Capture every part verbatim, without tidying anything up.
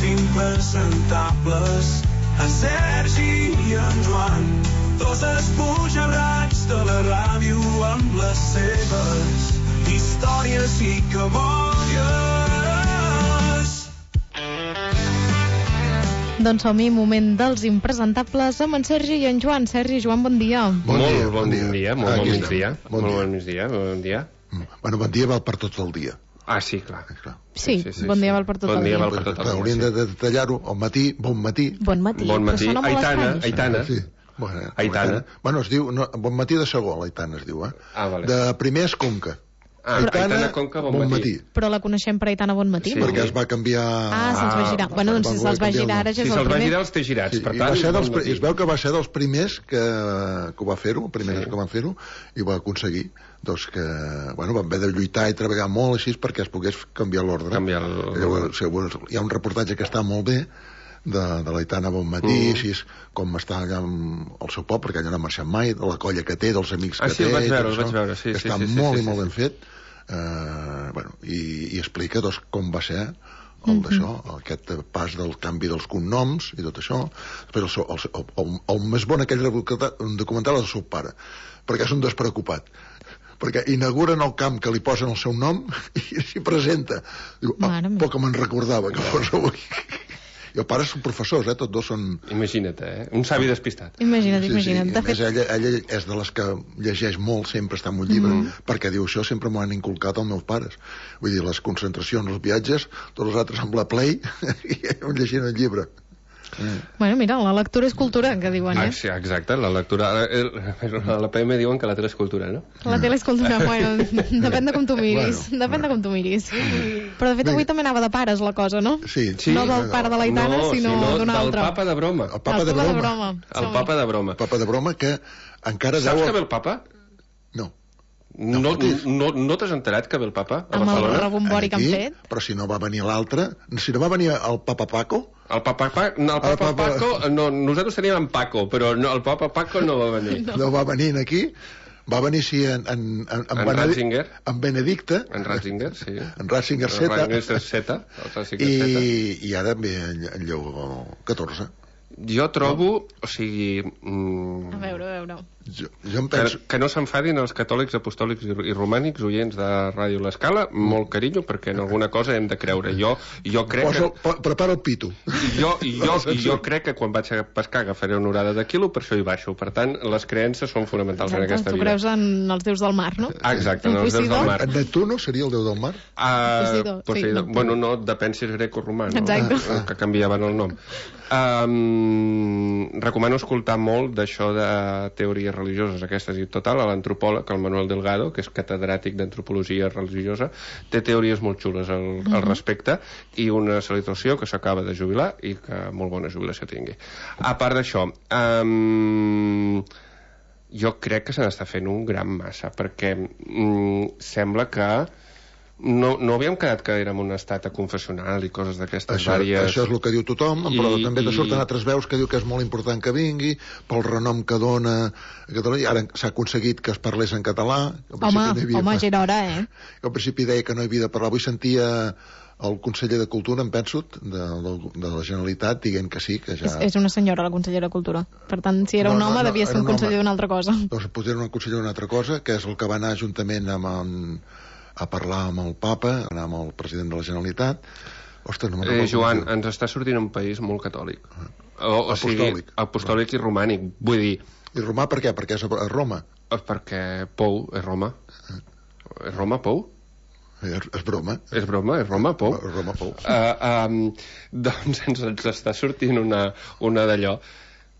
impresentables, a Sergi i en Joan, dos esbojarrats de la ràdio amb les seves històries i cabòries. Doncs som-hi, moment dels impresentables amb en Sergi i en Joan. Sergi, Joan, bon dia. Bon molt dia, bon dia, dia molt bon migdia. Bon molt dia. bon migdia, bon dia. Bueno, bon dia val per tot el dia. Ah, sí, clar. Sí, sí, sí, bon dia val per tot bon el dia. dia. Val per tot el dia. Hauríem de detallar-ho al matí, bon matí. Bon matí, bon matí. però sona molt Aitana, estrany. Aitana. Sí. Bueno, Aitana. Bueno, es diu, no, bon matí de segon, l'Aitana es diu, eh? Ah, vale. De primer és Conca. Ah, Aitana Conca, bon, bon matí. matí. Però la coneixem per Aitana Bon Matí? Sí. Perquè es va canviar... Ah, se'ls va girar. Bueno, doncs si se'ls va girar ara ja Si és el se'ls va primer. girar els té girats, Sí, per i tant... va ser dels, bon matí. es veu que va ser dels primers que, que ho va fer-ho, els primers Sí. que van fer-ho, i ho va aconseguir. Doncs que, bueno, van haver de lluitar i treballar molt així perquè es pogués canviar l'ordre. Canviar el... Llavors, hi ha un reportatge que està molt bé, de, de l'Aitana Bon Matí, Mm. així és com està allà amb el seu poble, perquè allà no ha marxat mai, de la colla que té, dels amics Ah, que sí, té, ho vaig i tot veure, ho això, vaig veure, sí, que sí, està sí, sí, molt sí, i molt sí. ben fet, eh, bueno, i, i explica doncs, com va ser el Mhm. d'això, aquest pas del canvi dels cognoms i tot això. Després el, seu, el, el, el, el més bon aquell documental és el seu pare, perquè és un despreocupat, perquè inauguren el camp que li posen el seu nom i s'hi presenta. Diu, ah, poc que me'n recordava que fos avui. I el pare són professors, eh? Tots dos són... Imagina't, eh? Un savi despistat. Imagina't, Sí, imagina't. sí. De A més, fet, ella, ella és de les que llegeix molt, sempre està en un llibre, Mm. perquè diu, això sempre m'ho han inculcat els meus pares. Vull dir, les concentracions, els viatges, tots els altres amb la Play i llegint el llibre. bueno, mira, la lectura és cultura, que diuen, Ah, eh? sí, exacte, la lectura... El, a la P M diuen que la tele és cultura, no? La tele és cultura, bueno, depèn de com tu miris, Bueno, depèn de com tu miris. Però de fet avui també anava de pares la cosa, no? Sí, Sí. No del pare de l'Aitana, no, sinó d'un del altre. papa de broma. El papa El de papa de broma. broma. El Som-hi. papa de broma. El papa de broma que encara Saps deu... que ve el papa? No. No, no, no, no t'has enterat que ve el papa a Amb el Barcelona? rebombori que han Aquí, fet. però si no va venir l'altre, si no va venir el papa Paco, El papa, pa, no, el papa, El papa- Paco, no, nosaltres teníem en Paco, però no, el papa Paco no va venir. no, no va venir aquí, va venir sí en, en, en, en, En Benedi- Ratzinger. en Benedicte, En Ratzinger, sí. en Ratzinger En Z, Ratzinger Z. El Ratzinger Z. i, i ara ve en, en Lleó catorze. Jo trobo, o sigui... Mm, A veure, a veure. Jo, jo em que, penso... que no s'enfadin els catòlics, apostòlics i, i romànics oients de Ràdio L'Escala, molt carinyo, perquè en alguna cosa hem de creure. Jo, jo crec Posa, que... po, prepara el pito. Jo, jo, jo crec que quan vaig a pescar agafaré una orada de quilo, per això hi baixo. Per tant, les creences són fonamentals en aquesta Tu vida. creus en els déus del mar, no? Ah, exacte, en els déus Posidó? del mar. En Neptuno seria el déu del mar? Uh, Posidó, sí, Posidó. no. Bueno, no, depèn si és greco-romà, no? Exacte. Eh, que canviaven el nom. Um, recomano escoltar molt d'això de teories religioses, aquestes i total, a l'antropòleg, el Manuel Delgado, que és catedràtic d'antropologia religiosa, té teories molt xules al, al respecte, i una salutació que s'acaba de jubilar i que molt bona jubilació tingui. A part d'això, um, jo crec que se n'està fent un gran massa, perquè mm, sembla que no, no havíem quedat que érem un estat confessional i coses d'aquestes Això, vàries... això és el que diu tothom, I- però també te i- surten altres veus que diu que és molt important que vingui, pel renom que dona a Catalunya. Ara s'ha aconseguit que es parlés en català. Que al Home, principi no hi havia- home, ja era hora, eh? que al principi deia que no hi havia de parlar. Avui sentia el conseller de Cultura, em penso, de, de, de la Generalitat, dient que sí, que ja... És, és una senyora, la consellera de Cultura. Per tant, si era No, un no, home, no, devia ser era un un conseller home. d'una altra cosa. Doncs potser una consellera d'una altra cosa, que és el que va anar juntament amb en, a parlar amb el papa, anar amb el president de la Generalitat. Ostres, no me'n Eh, recordo Joan, com es diu. ens està sortint un país molt catòlic. O, o sigui, Apostòlic. apostòlic i romànic. Vull dir, I Romà per què? Perquè és a a Roma. eh, perquè Pou és Roma. És Roma, Pou? És, és broma. És broma, és Roma, Pou? Roma, Pou. Uh, um, doncs ens, ens està sortint una, una d'allò,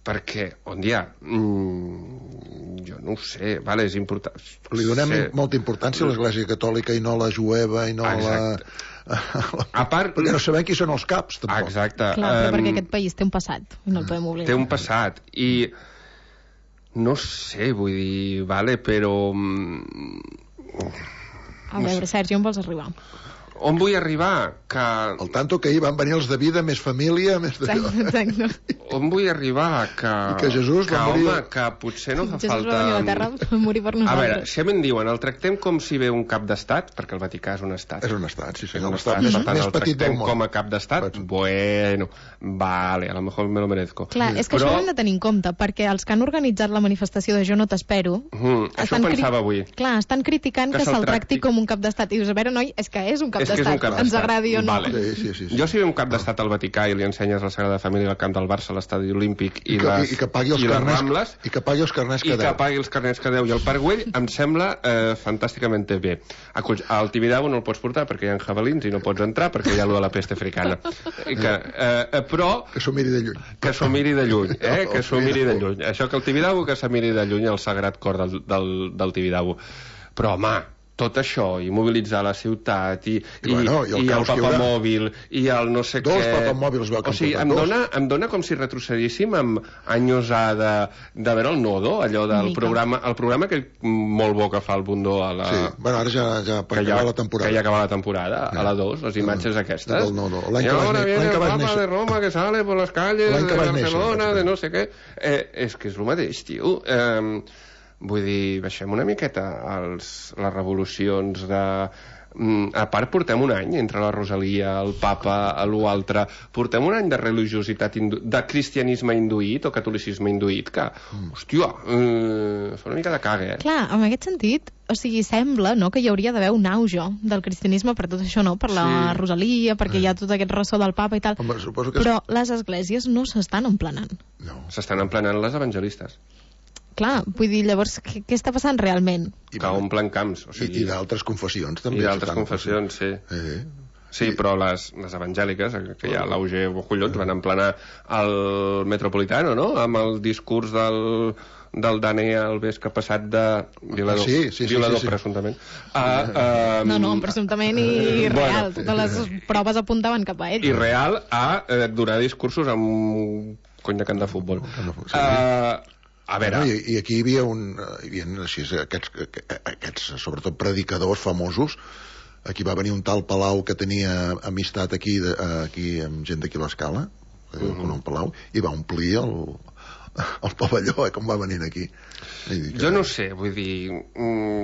perquè, on hi ha? Mm, jo no ho sé, vale, és important. Li donem sé. molta importància a l'Església Catòlica i no a la jueva i no a la... A part... Perquè no sabem qui són els caps, tampoc. Exacte. Clar, però em, perquè aquest país té un passat, i no el podem oblidar. Té un passat, i no sé, vull dir, vale, però... mm, A veure, Sergi, on vols arribar? On vull arribar? Que... El tanto que ahir van venir els de vida, més família, més... Exacte. On vull arribar? Que... I que Jesús va morir... Home, que potser no fa Jesús falta... va venir a la Terra a morir per nosaltres. A veure, si a mi em diuen, el tractem com si ve un cap d'estat, perquè el Vaticà és un estat. És un estat, sí, sí. És un estat estat, més, per tant, més el petit del tractem món. com a cap d'estat? Bueno, vale, a lo mejor me lo merezco. Clar, és que Però... això ho hem de tenir en compte, perquè els que han organitzat la manifestació de Jo no t'espero... Mm, això ho pensava avui. Clar, estan criticant que, que se'l tracti com un cap d'estat. I dius, a veure, noi, és que és un cap d'estat. Ens agradi o no. Vale. Sí, sí, sí, sí. Jo si ve un cap d'estat al Vaticà i li ensenyes la Sagrada Família al camp del Barça, a l'estadi olímpic i, I, que, les, i, que pagui els i les carnets, Rambles i que pagui els carnets que i deu. que pagui els carnets que deu i el Parc Güell em sembla eh, fantàsticament bé. Al Tibidabo no el pots portar perquè hi ha jabalins i no pots entrar perquè hi ha allò de la peste africana. I que, eh, però... Que s'ho miri de lluny. Que s'ho miri de lluny, eh? Que s'ho miri de lluny. Això que el Tibidabo, que se miri de lluny el sagrat cor del, del, del Tibidabo. Però, home, tot això, i mobilitzar la ciutat, i, I, bueno, i el, i el papamòbil, i el no sé dos què... Dos papamòbils va O sigui, em dona, em dona com si retrocedíssim amb anys A de, de veure el Nodo, allò del programa, el programa que molt bo que fa el Bundó a la... Sí, bueno, ara ja, ja per acabar la temporada. Que ja acaba la temporada, a la dos, les imatges aquestes. Del Nodo. L'any I que ahora vas, viene el que vas Papa néixer. de Roma que sale por las calles de Barcelona, néixer, de no sé què... Eh, és que és el mateix, tio. Eh, Vull dir, baixem una miqueta els, les revolucions de... A part, portem un any entre la Rosalia, el Papa, l'altre, portem un any de religiositat, hindu... de cristianisme induït o catolicisme induït, que, mm. hòstia, eh, fa una mica de caga, eh? Clar, en aquest sentit, o sigui, sembla, no?, que hi hauria d'haver un auge del cristianisme per tot això, no?, per la sí. Rosalia, perquè mm. hi ha tot aquest ressò del Papa i tal, Home, que però és... les esglésies no s'estan emplenant. No. S'estan emplenant les evangelistes. Clar, vull dir, llavors, què, què està passant realment? I, que omplen camps. O sigui, I, i d'altres confessions, també. I d'altres confessions, sí. Eh. Sí, però les, les evangèliques, que hi ha l'Auge Bocollons, van emplenar el Metropolitano, no?, amb el discurs del, del Dané Alves que ha passat de violador, ah, sí, sí, sí, violador sí, sí. presumptament. A, a, no, no, presumptament i real. Bueno, totes les proves apuntaven cap a ell. I real a eh, donar discursos amb un cony de camp de futbol. Sí. Uh, A veure... No, i, I aquí hi havia, un, hi havia així, aquests, aquests, sobretot predicadors famosos. Aquí va venir un tal Palau que tenia amistat aquí, de, aquí amb gent d'aquí a l'Escala, uh -huh. un Palau, i va omplir el, el pavelló, eh, com va venint aquí. Que... Jo no sé, vull dir,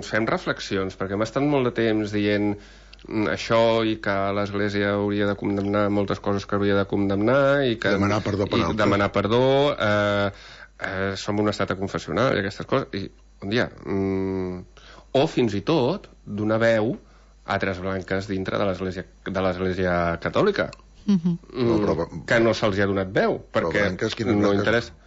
fem reflexions, perquè hem estat molt de temps dient això i que l'Església hauria de condemnar moltes coses que hauria de condemnar i que... Demanar perdó per altres. Demanar perdó... Eh, Eh, som un estat confessional i aquestes coses i un dia mm, o fins i tot donar veu a altres blanques dintre de l'església de l'església catòlica uh-huh. mm, no, però, que no se'ls hi ha donat veu perquè blanques, no interessa.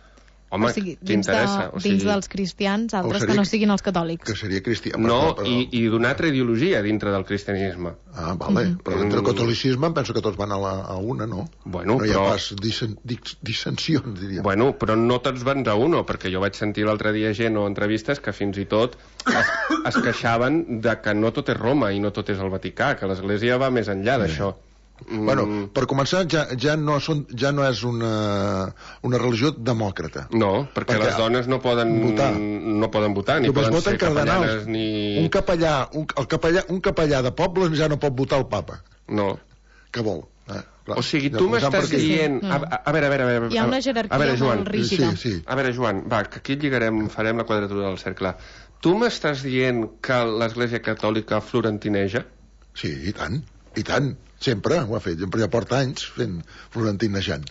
Home, o sigui, què interessa? De, o sigui, dins dels cristians, altres seria, que no siguin els catòlics. Que seria cristià. No, però... i, i d'una altra ideologia dintre del cristianisme. Ah, vale. Mm -hmm. Però dintre del catolicisme penso que tots van a, la, a una, no? Bueno, no hi ha però... pas disen, dis, dissensions, diria. Bueno, però no tots van a uno, perquè jo vaig sentir l'altre dia gent o entrevistes que fins i tot es, es queixaven de que no tot és Roma i no tot és el Vaticà, que l'Església va més enllà d'això. Mm. Bueno, per començar, ja, ja, no, són, ja no és una, una religió demòcrata. No, perquè, perquè les dones no poden votar, no poden votar ni només poden ser cardenals, capellanes ni... Un capellà, un, el capellà, un capellà de poble ja no pot votar el papa. No. Què vol? Eh, clar, o sigui, tu m'estàs dient... A, a, veure, a veure, a veure... Hi ha una jerarquia veure, Joan, molt rígida. Sí, sí. A veure, Joan, va, que aquí lligarem, farem la quadratura del cercle. Tu m'estàs dient que l'Església Catòlica florentineja? Sí, i tant, i tant. Sempre ho ha fet, sempre ja porta anys fent florentinejant.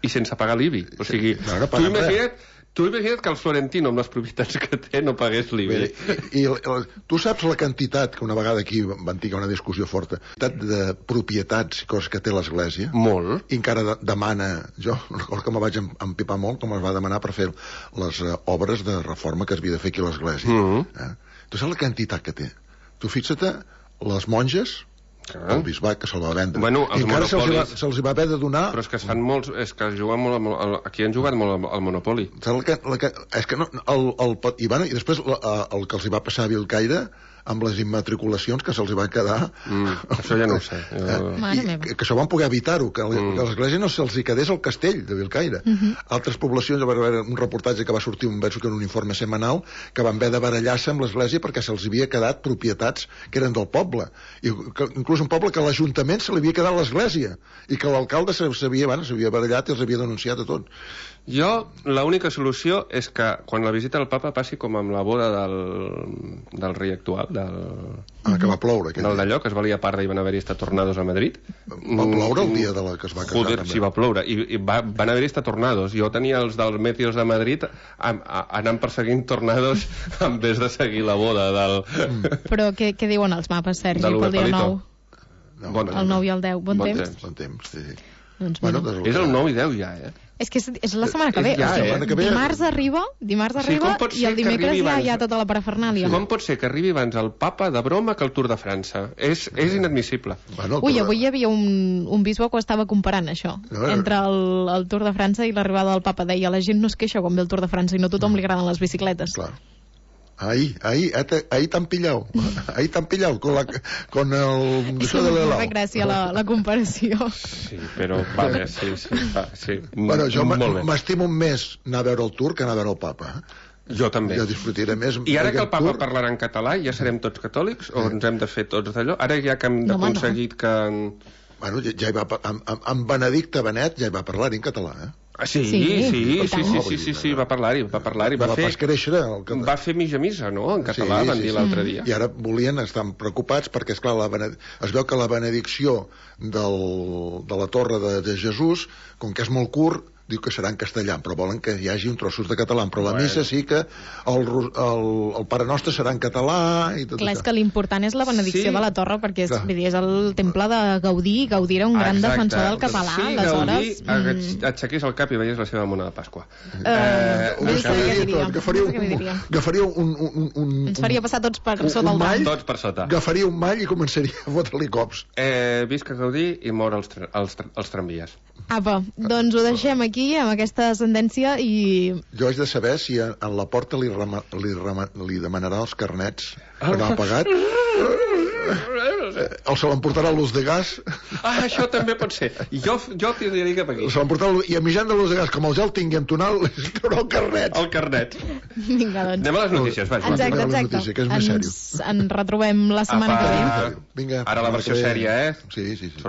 I sense pagar l'I B I. O sigui, no, no tu, imagina't, tu imagina't que el Florentino, amb les propietats que té, no pagués l'I B I. I, i, i tu saps la quantitat, que una vegada aquí van tenir una discussió forta, de propietats i coses que té l'Església? Molt. I encara de, demana, jo recordo que me vaig empipar molt, com es va demanar per fer les uh, obres de reforma que es havia de fer aquí a l'Església. Mm -hmm. eh? Tu saps la quantitat que té? Tu fixa't, les monges... Ah. El bisbat que se'l va vendre. Bueno, i encara se'ls va, se va haver de donar... Però és que es fan molts... És que juguen molt al, aquí han jugat molt al Monopoli. La que, la que, és que no... El, el, i, bueno, I després el, el que els hi va passar a Vilcaire, amb les immatriculacions que se'ls va quedar... Mm, això ja no ho sé. Jo... I que, que això van poder evitar-ho, que, mm. que l'església no se'ls hi quedés al castell de Bellcaire. Mm -hmm. Altres poblacions, va haver un reportatge que va sortir un, va sortir un informe setmanal, que van haver de barallar-se amb l'església perquè se'ls havia quedat propietats que eren del poble. I que, inclús un poble que a l'Ajuntament se li havia quedat l'església i que l'alcalde s'havia bueno, barallat i els havia denunciat a tots. Jo, l'única solució és que quan la visita al papa passi com amb la boda del, del rei actual, del... Ah, que va ploure. Del d'allò, que es valia part i van haver-hi estat tornados a Madrid. Va ploure el dia de la que es va casar. Joder, sí, va ploure. I, i va, van haver-hi estat tornados. Jo tenia els dels Meteos de Madrid a, a, anant perseguint tornados en vez de seguir la boda del... Mm. Però què, què diuen els mapes, Sergi, pel dia nou? No, bon el nou i el deu. Bon, bon temps? temps? Bon temps, sí. Doncs bueno, bueno, és el nou i deu ja, eh? És que és, és la setmana que ve. Ja, o sigui, eh? que ve dimarts arriba, dimarts arriba o sigui, i el dimecres ja hi ha tota la parafernàlia. Sí. Com pot ser que arribi abans el papa de broma que el Tour de França? És, és inadmissible. Bueno, Ui, avui hi havia un, un bisbe que ho estava comparant, això, no, entre el, el Tour de França i l'arribada del papa. Deia, la gent no es queixa quan ve el Tour de França i no a tothom li agraden les bicicletes. Clar. Ahí, ahí, ahí t'han pillado. Ahí t'han pillado con, la, con el... És que no fa gràcia la, la comparació. Sí, però vale, sí, sí, va, sí. Bueno, jo m'estimo més anar a veure el Tour que anar a veure el papa. Eh? Jo també. Jo disfrutaré més. I ara que el papa parlarà en català, ja serem tots catòlics o ens hem de fer tots d'allò? Ara ja que hem aconseguit que... Bueno, ja hi va... Amb, amb Benedicte Benet ja hi va parlar en català, eh? Ah, sí, sí, sí, sí, sí, sí, sí, sí, va parlar-hi, va parlar-hi. Va, fer, va fer mitja missa, no?, en català, sí, van sí, dir l'altre dia. I ara volien, estan preocupats perquè, esclar, la bened... es veu que la benedicció del... de la Torre de, de Jesús, com que és molt curt, diu que serà en castellà, però volen que hi hagi un trossos de català, però la bueno. missa sí que el, el, el Pare Nostre serà en català i tot Clar, això. És que l'important és la benedicció sí. de la Torre, perquè és, dir, és el temple de Gaudí, Gaudí era un gran Exacte. defensor del català, sí, aleshores... Gaudí mm... aixequés el cap i veies la seva mona de Pasqua. Uh, eh, no sé què diria. Agafaria un, agafaria un, un, un... Ens faria passar tots per sota el mall, tots per sota. Agafaria un mall i començaria a fotre-li cops. Eh, visca Gaudí i mor els, tra els, tra els tramvies. Apa, doncs ho deixem aquí, amb aquesta sentència i... Jo haig de saber si en la porta li, rema, li, rema, li demanarà els carnets que no ha pagat o se l'emportarà l'ús de gas. Ah, això també pot ser. Jo, jo t'hi diria cap aquí. Se l'emportarà i a mitjan de l'ús de gas, com el ja el tingui en tonal, li traurà el carnet. El carnet. Vinga, doncs. Anem a les notícies, vaig. Exacte, exacte. Notícia, que és més ens, ens retrobem la setmana Apa, que ve. Vinga. Ara la versió sèria, eh? Sí, sí, sí.